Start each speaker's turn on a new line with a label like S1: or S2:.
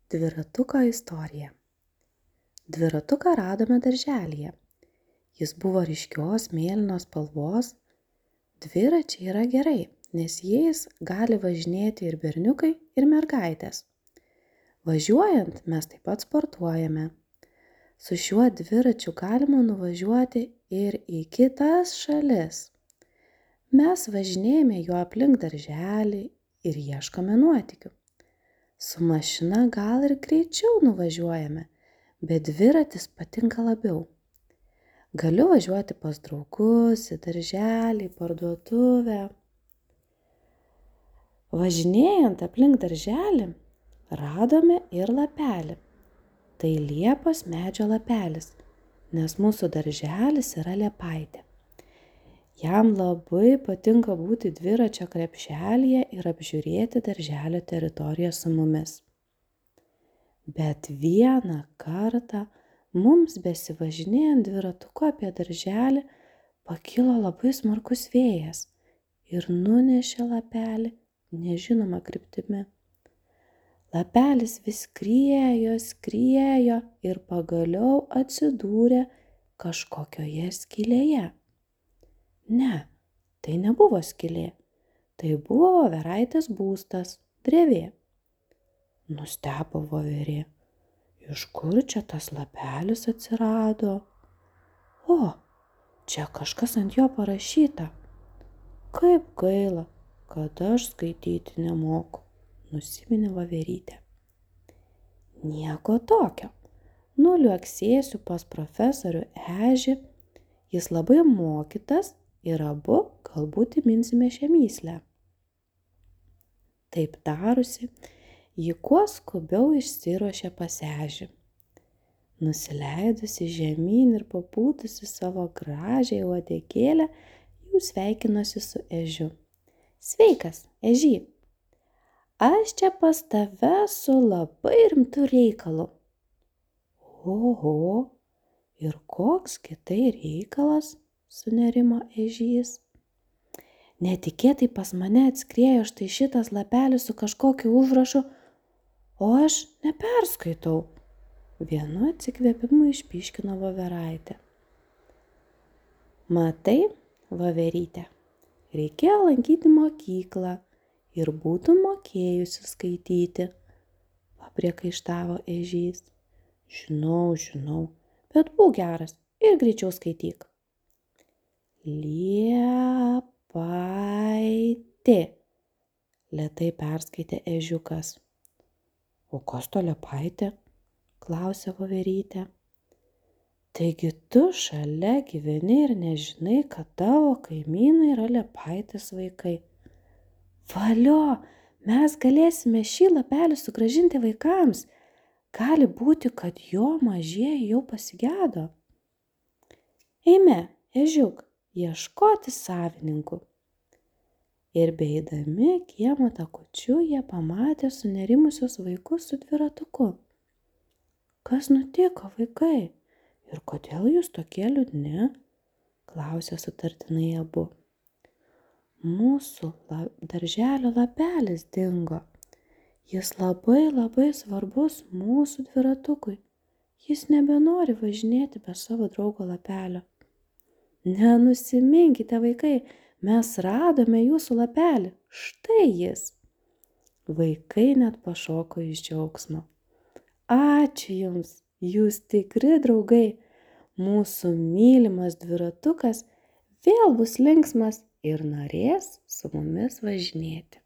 S1: Dviratuko istorija. Dviratuką radome darželyje. Jis buvo ryškios mėlynos spalvos. Dviračiai yra gerai, nes jais gali važinėti ir berniukai, ir mergaitės. Važiuojant mes taip pat sportuojame. Su šiuo dviračiu galima nuvažiuoti ir į kitas šalis. Mes važinėjame juo aplink darželį ir ieškome nuotykių. Su mašina gal ir greičiau nuvažiuojame, bet dviratis patinka labiau. Galiu važiuoti pas draugus, į darželį, parduotuvę. Važinėjant aplink darželį radome ir lapelį. Tai liepos medžio lapelis, nes mūsų darželis yra liepaitė. Jam labai patinka būti dviračio krepšelyje ir apžiūrėti darželio teritoriją su mumis. Bet vieną kartą mums besivažinėjant dviratuku apie darželį pakilo labai smarkus vėjas ir nunešė lapelį nežinoma kryptimi. Lapelis vis skriejo ir pagaliau atsidūrė kažkokioje skylėje. Ne, tai nebuvo skylė, tai buvo voveraitės būstas, drevė. Nustebo voverė, iš kur čia tas lapelis atsirado? O, čia kažkas ant jo parašyta. Kaip gaila, kad aš skaityti nemoku, nusiminė voverytė. Nieko tokio, nuliuoksėsiu pas profesorių Ežį, jis labai mokytas ir abu galbūt įminsime šią mįslę. Taip tarusi, ji kuo skubiau išsiruošė pas Ežį. Nusileidusi žemyn ir papūtusi savo gražią uodegėlę, jau sveikinosi su Ežiu. Sveikas, Ežy! Aš čia pas tave su labai rimtu reikalu. Oho, ir koks kitai reikalas? Sunerimo Ežys. Netikėtai pas mane atskriejo štai šitas lapelis su kažkokiu užrašu, o aš neperskaitau. Vienu atsikvėpimu išpyškino voveraitė. Matai, voverytė, reikėjo lankyti mokyklą ir būtų mokėjusi skaityti, papriekaištavo Ežys. Žinau, bet būk geras ir greičiau skaityk. Liepaitė, lėtai perskaitė Ežiukas. O kas to liepaitė? Klausė voverytė. Taigi tu šalia gyveni ir nežinai, kad tavo kaimynai yra liepaitės vaikai. Valio, mes galėsime šį lapelį sugrąžinti vaikams. Gali būti, kad jo mažieji jau pasigedo. Eime, Ežiuk, ieškoti savininkų. Ir beeidami kiemo takučiu jie pamatė sunerimusius vaikus su dviratuku. Kas nutiko, vaikai? Ir kodėl jūs tokie liūdni? Klausė sutartinai abu. Mūsų darželio lapelis dingo. Jis labai svarbus mūsų dviratukui. Jis nebenori važinėti be savo draugo lapelio. Nenusiminkite, vaikai, mes radome jūsų lapelį. Štai jis. Vaikai net pašoko iš džiaugsmo. Ačiū jums, jūs tikri draugai. Mūsų mylimas dviratukas vėl bus linksmas ir norės su mumis važinėti.